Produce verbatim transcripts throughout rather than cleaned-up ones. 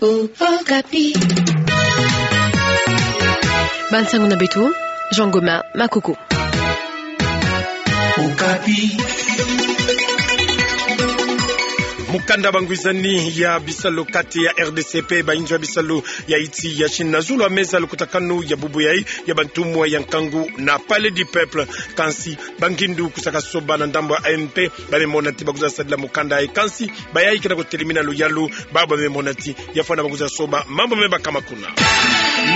Okapi. Bansango na beto, Jean Gomin Makoko. Okapi. Mukanda bangwizani ya bisalu kati ya R D C pe bainzo ya bisalu ya iti ya Chine na zulu ya meza lukutakanu ya bubu yayi ya bantumwa ya nkangu na Palais du Peuple. Kansi bangindu kusaka soba na ndambu ya A M P, bamemona ti bakwiza sadila mukanda yayi. Kansi bayayi ke na kotelimina luyalu, babo bamemona ti yafwana bakwiza soba mambu mebakama kuna.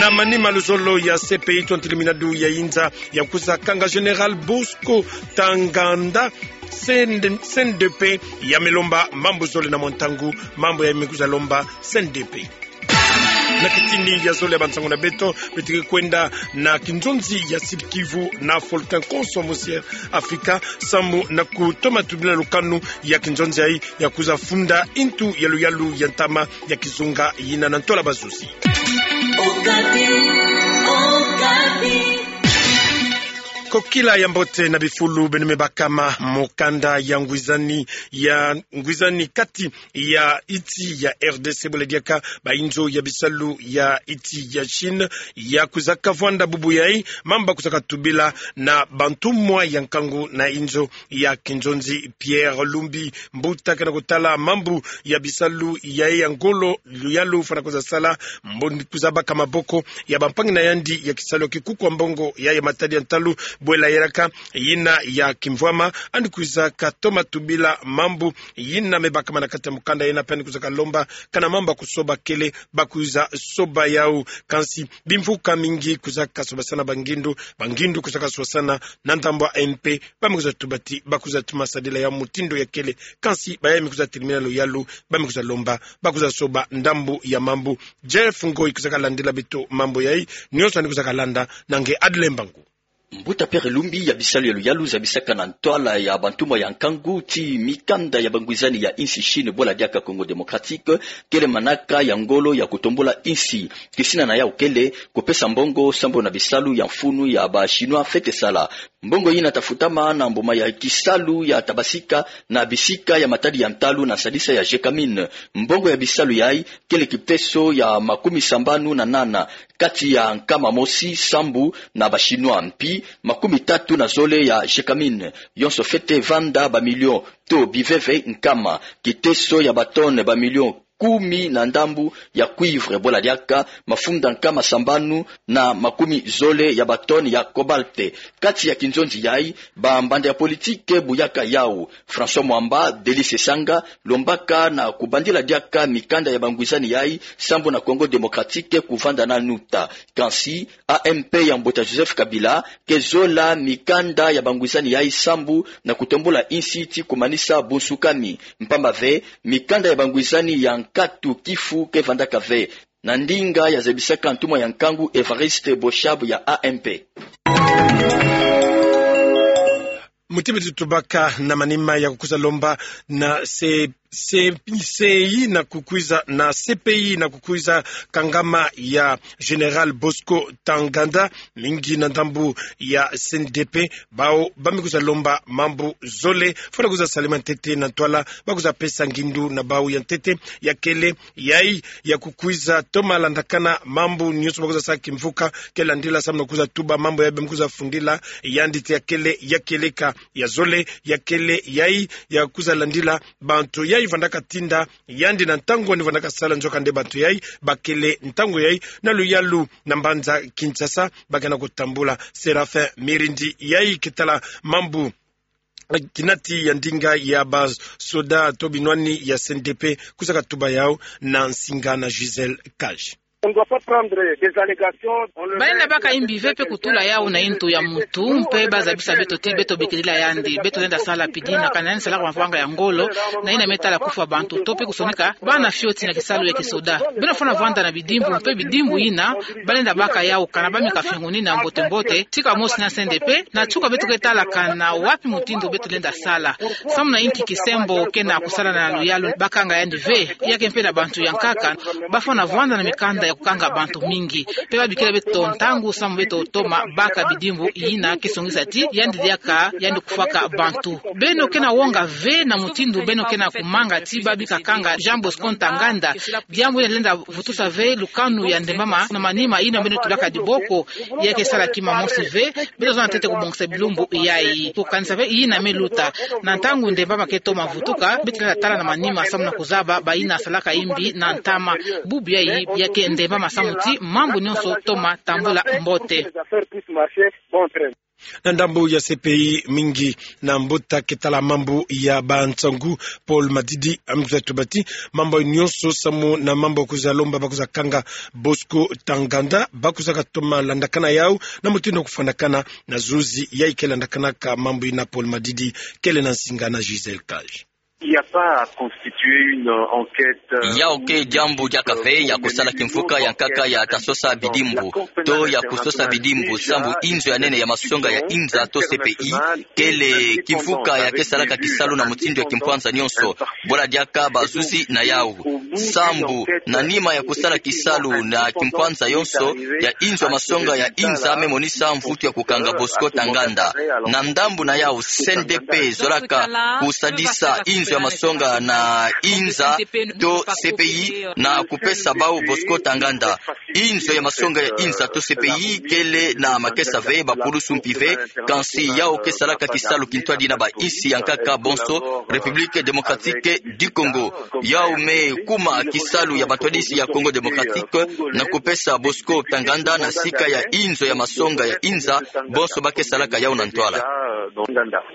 Na manima luzolo ya C P I, twa ntelimina du ya inza ya kwiza kanga Général Bosco Ntaganda, C N D P, yamelomba mambu zole na mwa ntangu, mambu yayi mekwiza lomba C N D P. Na kitini ya zole ya bansango na beto, beto ke kwenda na kinzonzi ya Sud-Kivu na Faultin Konso, mosi ya Afrika, samu na kutoma tubila lukanu ya kinzonzi yayi ya kwiza funda ntu ya luyalu ya ntama ya kizunga yina na ntwala bazuzi. Okapi, Okapi. Kokila ya mbote na bifulu beno mebakama. Mukanda ya ngwizani, ya ngwizani kati ya iti ya R D C bwela diaka bainzo ya bisalu ya iti ya Chine ya kwiza kavwanda bubu yayi mambu bakwiza katubila na bantumwa ya nkangu na inzo ya kinzonzi. Pierre Lumbi, mbuta ke na kotala mambu ya bisalu yayi ya ngolo, luyalu fwana kwiza sala, mbo ni kwiza baka maboko ya bampangi na yandi ya kisalu ya kikuku ya mbongo yayi ya matadi ya ntalu bwela yelaka, yina ya kimvwama, yandi kwiza katoma tubila mambu yina mebakama na kati ya mukanda yina, pe yandi kwiza kalomba kana mambu ya kusoba kele bakwiza soba yawu. Kansi bimvuka mingi kwiza kasobasana bangindu, bangindu kwiza kasobasana na ndambu ya A M P, bamekwiza tuba ti bakwiza toma sadila yawu mutindu ya kele. Kansi bayayi mekwiza telimina luyalu, bamekwiza lomba bakwiza soba ndambu ya mambu. Jeff Ngoi kwiza kalandila beto mambu yayi, nionso yandi kwiza kalanda na nge Adle Mbangu. Mbuta Pierre Lumbi, ya bisalu ya luyalu zabisaka na ntwala ya bantumwa ya nkangu ti mikanda ya bangwizani ya insi Chine bwela diaka Congo Démocratique kele manaka ya ngolo ya kutombula insi. Kisina na yawu kele kupesa mbongo sambu na bisalu ya mfunu ya ba Chinois fwete sala. Mbongo yina ta futama na mbuma ya kisalu ya ta basika na bisika ya matadi ya ntalu na sadisa ya Gécamines. Mbongo ya bisalu yayi kele kipeso ya makumi sambanu na nana kati ya nkama mosi sambu na ba Chinois, mpi makumi tatu na zole ya Gécamines. Yonso fwete vanda ba millions to biveve nkama, kiteso ya ba tonnes ba millions kumi na ndambu ya cuivre, bwela diaka mafunda nkama sambanu na makumi zole ya ba tonnes ya cobalt. Kati ya kinzonzi yayi, bambanda ya politike buyaka yawu. François Mwamba, Delice Sanga, lombaka na kubandila diaka mikanda ya bangwizani yayi sambu na Congo Démocratique kuvanda nanu uta. Kansi A M P ya mbuta Joseph Kabila ke zola mikanda ya bangwizani yayi sambu na kutombula insi ti kumanisa bunsukami. Mpamba ve, mikanda ya bangwizani ya nkatu kifu ke vandaka ve, na ndinga ya zabisaka ntumwa ya nkangu Évariste Boshab ya A M P. Muti beto tubaka na manima ya kukwiza lomba na C-, C-, C I na kukwiza na C P I na kukwiza kangama ya Général Bosco Ntaganda, mingi na ndambu ya C N D P, bawu bamekwiza lomba mambu zole fwana kwiza salama ntete na ntwala bakwiza pesa ngindu na bawu. Ya ntete ya kele yayi ya kukwiza toma landakana mambu nionso bakwiza sa kimvuka ke landila samu na kukwiza tuba mambu yayi bamekwiza fundila, yandi ti ya kele ya kieleka. Ya zole ya kele yayi ya kukwiza landila bantu yayi vandaka tinda yandi na ntangu yandi vandaka sala, nzoka nde bantu yayi bakele ntangu yayi na luyalu na mbanza Kinshasa, ba ke na kutambula. Séraphin Mirindi, yayi ke tala mambu kinati ya ndinga ya basoda to binwani ya C N D P, kwiza katuba yawu na nsinga na Gisèle Kaj. On doit pas prendre des allégations, on le met... Balenda baka imbi ve mpe kutula yawu na yintu ya muntu, mpe bazabisa beto ti beto bikilila yandi, beto lenda sala pidina, kana yandi salaka mavanga ya ngolo, na yina me tala kufwa bantu, to mpe kusonika bana fioti na kisalu ya kisoda. Beno fwana vwanda na bidimbu, mpe bidimbu yina balenda baka yawu kana bameka fiongonina mbote mbote, tika mosi na C N D P, na tuka beto ke tala kana wapi mutindu beto lenda sala. Samu na inki kisembo kena kusala na luyalu, bakanga yandi ve, ya ke mpe na bantu ya nkaka, bafwana vwanda na mikanda ya kukanga bantu mingi. Mpe babikila beto ntangu samu beto toma baka bidimbu yina ke songisa ti yandi diaka yandi kufwaka bantu. Beno ke na wonga ve na mutindu beno ke na kumanga ti babi kakanga Jean Bosco Ntaganda. Diambu yina lenda vutusa ve lukanu ya ndembama na manima yina beno tulaka diboko. Ya ke sala kima mosi ve, beto zona ntete kubongisa bilumbu yayi. Kukanisa ve yina me luta. Na ntangu ndembama ke toma vutuka, beto lenda tala na manima samu na kuzaba bayina salaka yimbi na ntama. Bubu yayi, ya ke ndembama samu ti mambu nyonso toma tambula mbote. Na ndambu ya C P I mingi na mbuta ke tala mambu ya bansangu Paul Madidi, a me kwiza tuba ti mambu nyonso samu na mambu kwiza lomba ba kwiza kanga Bosco Ntaganda, ba kwiza katoma landakana yau na mutindu kufwanakana na zuzi yayi ke landakanaka mambu yina. Paul Madidi kele na nsinga na Gisèle Cage. Il n'y a pas à constituer une enquête, euh, yau ke diambu diaka ve ya kusala kimvuka ya nkaka ya ta sosa bidimbu, to ya kusosa bidimbu, sambu inzo ya nene ya masonga ya inza to C P I kele kimvuka ya ke salaka kisalu na mutindu ya kimpwanza nyonso. Bula diaka bazuzi na yau. Sambu, na nima ya kusala kisalu na kimpwanza yonso, ya inzo ya masonga ya inza me monisa mvutu ya kukanga Bosco Ntaganda. Na ndambu na yau, C N D P zolaka kusadisa inzo ya masonga na inza to C P I na kupesa bau Bosco Ntaganda. Inzo ya masonga ya inza to C P I kele na makesa ve, bapulusu mpi ve, kansi yau ke salaka kisalu kintwadi na bainsi ya nkaka bonso, République Démocratique du Congo. Yau me kuma kisalu ya bantwadisi ya Congo Démocratique na kupesa Bosco Ntaganda na sika ya inzo ya masonga ya inza bonso ba ke salaka yau na ntwala.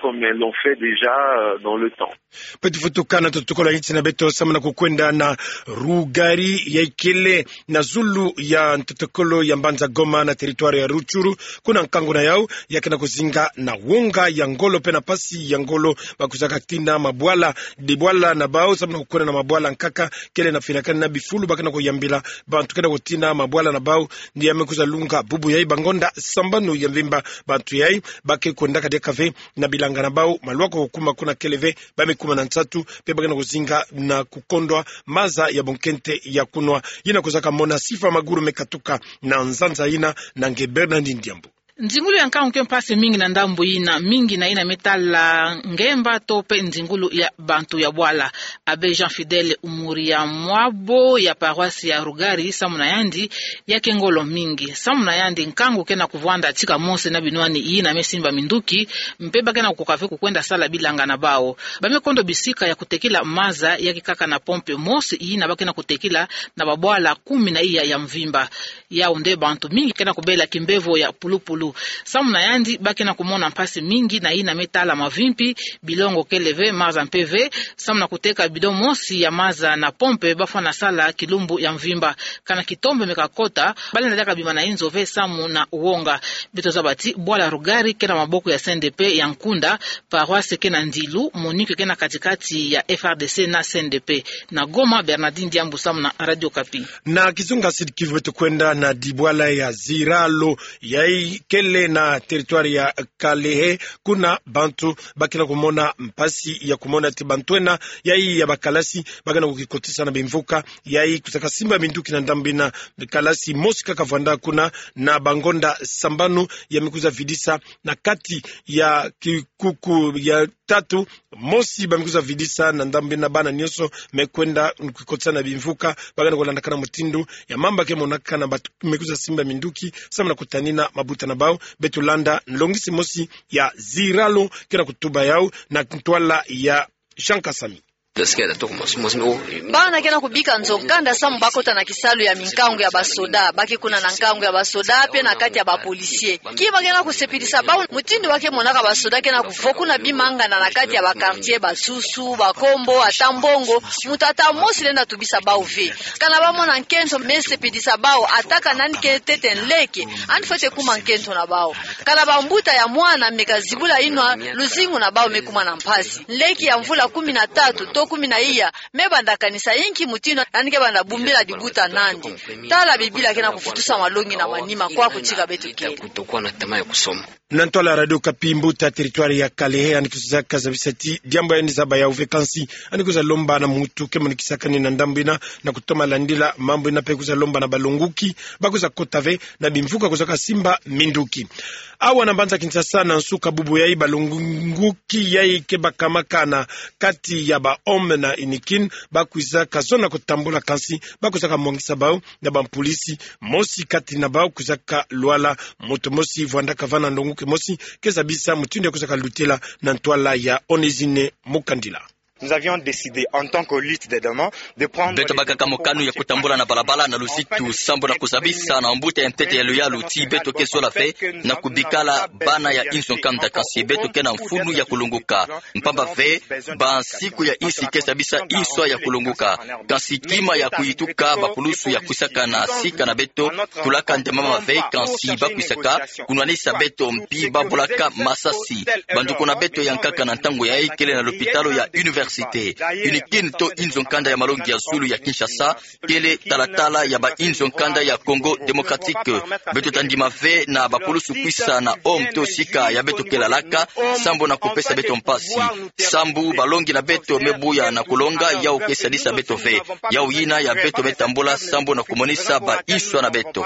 Comme ils l'ont fait déjà, euh, dans le temps. Beto vutukana tutukolo ya nsi na beto samu na kukwenda na Rugari yayi kele na zulu ya ntoto-kolo ya mbanza Goma na territoire ya Rutshuru. Kuna nkangu na yau ya ke na kuzinga na wonga ya ngolo mpe na mpasi ya ngolo, ba kwiza katina mabwala, dibwala na bau samu na kukwenda na mabwala nkaka kele na finakani na bifulu ba ke na kuyambila bantu ke na kutina mabwala na bau. Ni ya me kwiza lunga bubu yayi bangonda sambanu ya mvimba, bantu yayi ba ke kwendaka diaka ve na bilanga na bau, malwa ko kukuma kuna kele ve, ba me kuma na nsatu, mpe ba ke na kuzinga na kukondwa maza ya bunkente ya kunwa. Yina kwiza kamona Sifa Maguru me katuka na nzanza yina na nge Bernardine Diambu. Nzingulu ya nkangu ke mpasi mingi na ndambu yina, mingi na yina me tala ngemba to mpe nzingulu ya bantu ya bwala. Abbé Jean Fidèle Umuri ya mwabo ya paroisse ya Rugari, samu na yandi, ya ke ngolo mingi. Samu na yandi, nkangu ke na kuvwanda tika mosi na binwani yina me simba minduki, mpe ba ke na kukoka ve kukwenda sala bilanga na bau. Ba me kondo bisika ya kutekila maza ya ke kaka na pompe mosi yina ba ke na kutekila na babwala kumi na iya ya mvimba. Yau nde bantu mingi ke na kubela kimbevo ya pulupulu. Samu na yandi, ba ke na kumona mpasi mingi na yina me tala mavimpi, bilongo kele ve, maza mpe ve, samu na kuteka bidon mosi ya maza na pompe, ba fwana sala kilumbu ya mvimba. Kana kitombe me kakota, ba lenda diaka bima na inzo ve samu na wonga. Beto zaba ti bwala Rugari ke na maboko ya C N D P ya nkunda, paroisse ke na ndilu, MONUC ke na kati-kati ya F R D C na C N D P. Na Goma, Bernardine Diambu samu na Radio Okapi. Na kizunga Sud-Kivu beto kwenda na dibwala ya Ziralo, yayi kele na territoire ya Kalehe, kuna bantu ba ke na kumona mpasi ya kumona ti bantu ena, yayi ya bakalasi, ba ke na kukikotisa na bimvuka, yayi kwiza kasimba minduki na ndambu yina. Kalasi mosi kaka vwanda kuna na bangonda sambanu, ya me kwiza vidisa na kati ya kikuku ya tatu, mosi ba me kwiza vidisa na ndambu yina, bana nyonso me kwenda kukikotisa na bimvuka, ba ke na kulandakana mutindu ya mamba ke monakana, bantu me kwiza simba minduki samu na kutanina mabuta na bau. Beto landa nlongisi mosi ya Ziralo ke na kutuba yau na ntwala ya Jean Kasami. Bana ke na kubika nzo-kanda samu ba kota na kisalu ya minkangu ya basoda, ba ke kuna na nkangu ya basoda mpe na kati ya bapolisie. Kima ke na kusepelisa bau, mutindu ba ke monaka basoda ke na kuvokuna bimangana na kati ya baquartier, basusu, bakombo, ata mbongo, muntu ata mosi lenda tubisa bau ve. Kana ba mona nkento me sepelisa bau, ata kana yandi ke ntete nleke, yandi fwete kuma nkento na bau. Kana bambuta ya mwana me kazibula inwa, luzingu na bau me kuma na mpasi. Nleke ya mvula kumi na tatu to kumi na iya, me banda kanisa inki mutindu yandi ke banda bumbila dibuta nandi. Tala Bibila ke na kufutusa malongi na manima kwa kutika beto kele. Na ntwala Radio Okapi, mbuta territoire ya Kalehe yandi kwiza kazabisa ti diambu yandi zaba yawu ve, kansi yandi kwiza lomba na muntu ke monikisaka ni na ndambu yina na kutoma landila mambu yina, mpe kwiza lomba na balongoki ba kwiza kota ve na bimvuka kwiza kasimba minduki. Awa na mbanza Kinshasa, na nsuka bubu yayi, balongoki yayi ke bakamaka na kati ya ba hommes na UNIKIN ba kwiza kazona kutambula, kansi ba kwiza kamwangisa bawu na bampulisi. Mosi kati na bawu kwiza kalwala. Muntu mosi vwanda kavana, ndongoki mosi ke zabisa mutindu ya kwiza kalutila na ntwala ya Onésine Mukandila. Nous avions décidé, en tant que lutte des demandes, de prendre... Beto bakaka mokano ya kutambula na balabala na luzitu, sambu na kuzabisa na mbuta ya ntete ya luyalu ti beto ke zola ve na kubikala bana ya inzo nkanda, kansi beto ke na mfunu ya kulongoka. Mpamba ve, bansiku ya insi ke zabisa inswa ya kulongoka, kansi kima ya kuyituka bapulusu ya kwisaka na sika na beto, tulaka nde mama ve, kansi ba kwisaka kunwanisa beto mpi ba bolaka masasi. Banduku na beto ya nkaka na ntangu yayi kele na lopitalo ya université. UNIKIN to inzo nkanda ya malongi ya zulu ya Kinshasa kele talatala ya ba inzo nkanda ya Congo Démocratique. Beto ta ndima ve na bapulusu kwisa na home to sika ya beto ke lalaka, sambu na kupesa beto mpasi. Sambu balongi na beto me buya na kulonga, yawu ke sadisa beto ve. Yawu yina ya beto me tambula sambu na kumonisa ba inswa na beto.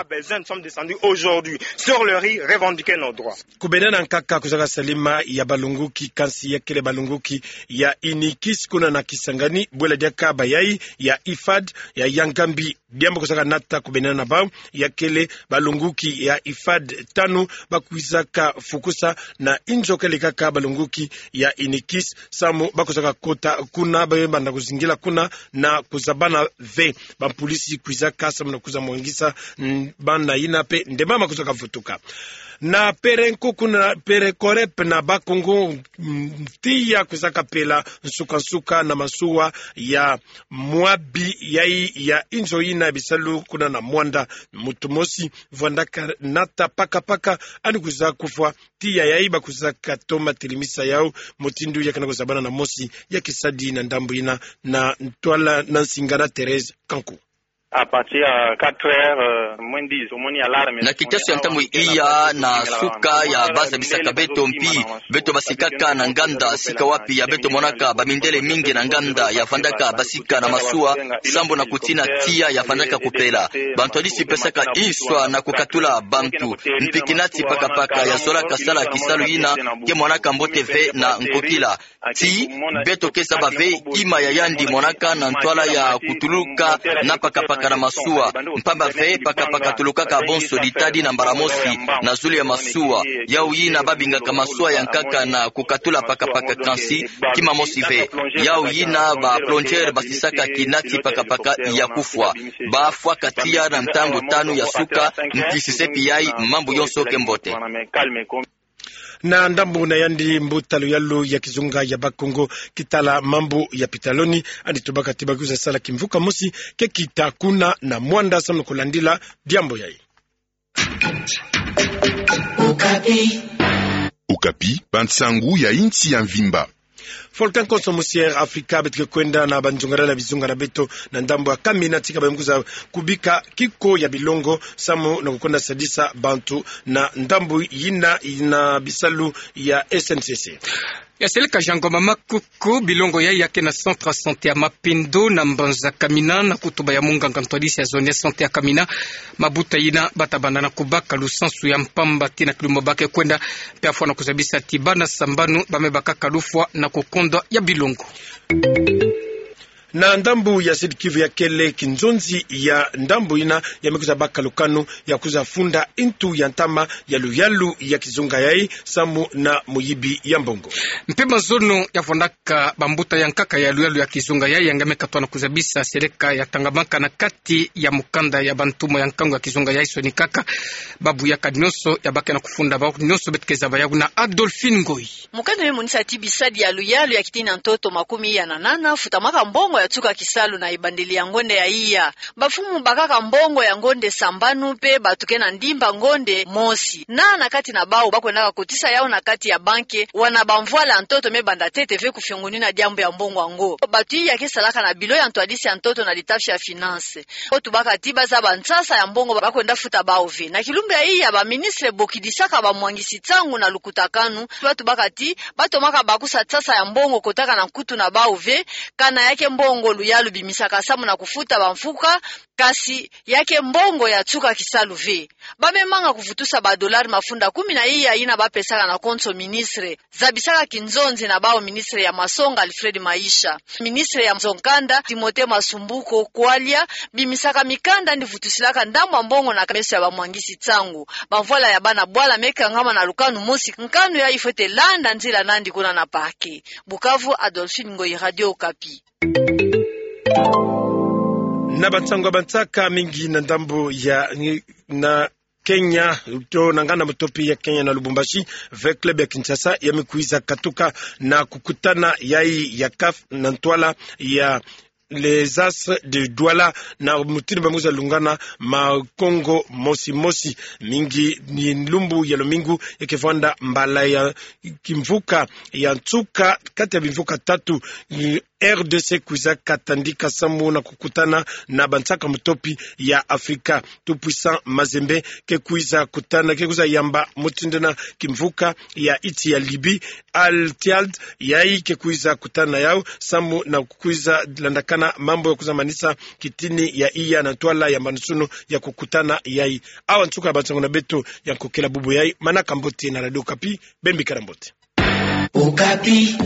Aujourd'hui, sur le ri, revendiquer nos droits. Kubendana nkaka kuzaka salima ya balongoki, kansi ya kele balongoki ya UNIKIS kuna na Kisangani, bwela diaka bayayi ya IFAD ya Yangambi. Diambu kuzaka nata kubendana na bawu ya kele balongoki ya IFAD tanu ba kwizaka fukusa na inzo kele kaka balongoki ya UNIKIS, samu ba kwizaka kota kuna, ba banda kuzingila kuna na kuzabana ve. Bampulisi kwizaka samu na kwiza mwangisa, mm, bana yina mpe nde mama kwizaka vutuka. Na Perenco kuna, Perencorep na Bas-Congo, mm, tiya kwizaka pela nsuka-nsuka na masuwa ya mwabi yayi ya inzo yina ya bisalu kuna na Muanda. Muntu mosi vwandaka nata paka-paka, yandi kwiza kufwa. Tiya yayi ba kwizaka toma telemisa yawu mutindu ya kana kuzabana na mosi ya kisadi na ndambu yina na ntwala na nsinga na Thérèse Kanku. À partir ya quatre heures, euh, moins dix, omoni alarme. Na kitasu ya ntangu iya na suka ya ba zabisaka beto mpi beto basikaka na nganda, sika wapi ya beto monaka bamindele mingi na nganda ya vandaka basika na masuwa, sambu na kutina tiya ya vandaka kupela. Bantu yandi si pesaka inswa na kukatula bantu. Mpi kinati paka-paka ya zolaka sala kisalu yina ke monaka mbote ve na nkokila. Ti beto ke zaba ve kima ya yandi monaka na ntwala ya kutuluka na paka-paka na masuwa. Mpamba ve paka-paka tulukaka bonso ditadi na mbala mosi na zulu ya masuwa. Yawu yina ba bingaka masuwa ya nkaka na kukatula paka-paka, kansi kima mosi ve. Yawu yina ba plongeur basisaka kinati paka-paka ya kufwa. Ba fwaka tiya na ntangu tanu ya suka, mpi sisepi yayi mambu yonso ke mbote. Na ndambu na yandi, mbuta luyalu ya kizunga ya Bas-Congo ke tala mambu ya pitaloni, yandi tubaka ti ba kwiza sala kimvuka mosi ke kita kuna na Muanda samu na kulandila diambu yayi. Okapi. Okapi, bansangu ya insi ya mvimba. Volcan Konso mosi ya Afrika beto ke kwenda na banzungadala ya bizunga na beto na ndambu ya Kamina, tika ba me kwiza kubika kiko ya bilongo samu na kukwenda sadisa bantu na ndambu yina na bisalu ya S N C C. Ya seleka Jean Ngoma Makuku, bilongo yayi ya ke na centre ya santé ya Mapendo na mbanza Kamina, na kutuba ya munganga ntwadisi ya zone ya santé ya Kamina, mabuta yina ba ta banda na kubaka lusansu ya mpamba tii na kilumbu ba ke kwenda, mpe afwa na kuzabisa ti bana sambanu ba me bakaka lufwa na kukondwa ya bilongo. Na ndambu ya Sud-Kivu ya kele, kinzonzi ya ndambu yina ya me kwiza baka lukanu ya kwiza funda ntu ya ntama ya luyalu ya kizunga yayi samu na muyibi ya mbongo. Mpe mazono ya vwandaka bambuta ya nkaka ya luyalu ya kizunga yayi ya nge me katwa na kuzabisa seleka ya tangamaka na kati ya mukanda ya bantumwa ya nkangu ya kizunga yayi, sonikaka ba buyaka nyonso ya ba ke na kufunda. Bawu nyonso beto ke zaba yawu na Adolphine Ngoyi. Mukanda me monisa ti bisadi ya luyalu ya kitini na ntoto makumi iya na nana futamaka mbongo ya nsuka kisalu na ebandeli ya ngonde ya iya. Bamfumu bakaka mbongo ya ngonde sambanu mpe bato ke na ndimba ngonde mosi. Na, na kati na bawu bakwendaka kotisa yawu na kati ya banke, wana bamvwala ya ntoto me banda ntete ve kufiongonina diambu ya mbongo yango. Bato iya ke salaka na bilo ya ntwadisi ya ntoto na litafi ya finance. Bo tubaka ti bazaba nsasa ya mbongo bakwenda futa bawu ve. Na kilumbu ya iya, baministre bokidisaka bamwangisi nsangu na lukutakanu, ba tubaka ti batomaka bakusa nsasa ya mbongo kotaka na nkutu na bawu ve, kana ya ke mbongo luyalu bimisaka samu na kufuta bamfuka, kasi ya ke mbongo ya nsuka kisalu ve. Bamemanga kuvutusa badolari mafunda kumi na iya yina bapesaka na konso ministre, zabisaka kinzonzi na bawu ministre ya masonga Alfred Maisha, ministre ya nzo-nkanda Timothée Masumbuko Kualia, bimisaka mikanda yandi vutusilaka ndambu ya mbongo na meso ya bamwangisi nsangu. Bamvwala ya bana bwala me kangama na lukanu mosi, nkanu yayi fwete landa nzila na yandi kuna na parquet. Bukavu, Adolphine Ngoyi, Radio Okapi. Na bansangu ya bansaka mingi na ndambu ya, na Kenya, to na nganda mutopi ya Kenya na Lubumbashi, ve club ya Kinshasa, ya me kwiza katuka na kukutana yayi ya CAF na ntwala ya les As de Douala, na mutindu ba me kwiza lungana makongo mosi mosi. Mingi ni lumbu ya lumingu, ya ke vwanda mbala ya kimvuka ya nsuka kati ya bimvuka tatu, R D C kwiza katandika samu na kukutana na bansaka mutopi ya Afrika. Tout-Puissant Mazembe ke kwiza kutana, ke kwiza yamba mutindu na kimvuka ya nsi ya Libye, Al Ittihad, yayi ke kwiza kutana yawu samu na kwiza landakana mambu ya kwiza manisa kitini ya iya na ntwala ya mbandu-sunu ya kukutana yayi. Awa nsuka ya bansangu na beto ya nkokela bubu yayi. Manaka mbote na Radio Okapi, beno bikala mbote. Okapi.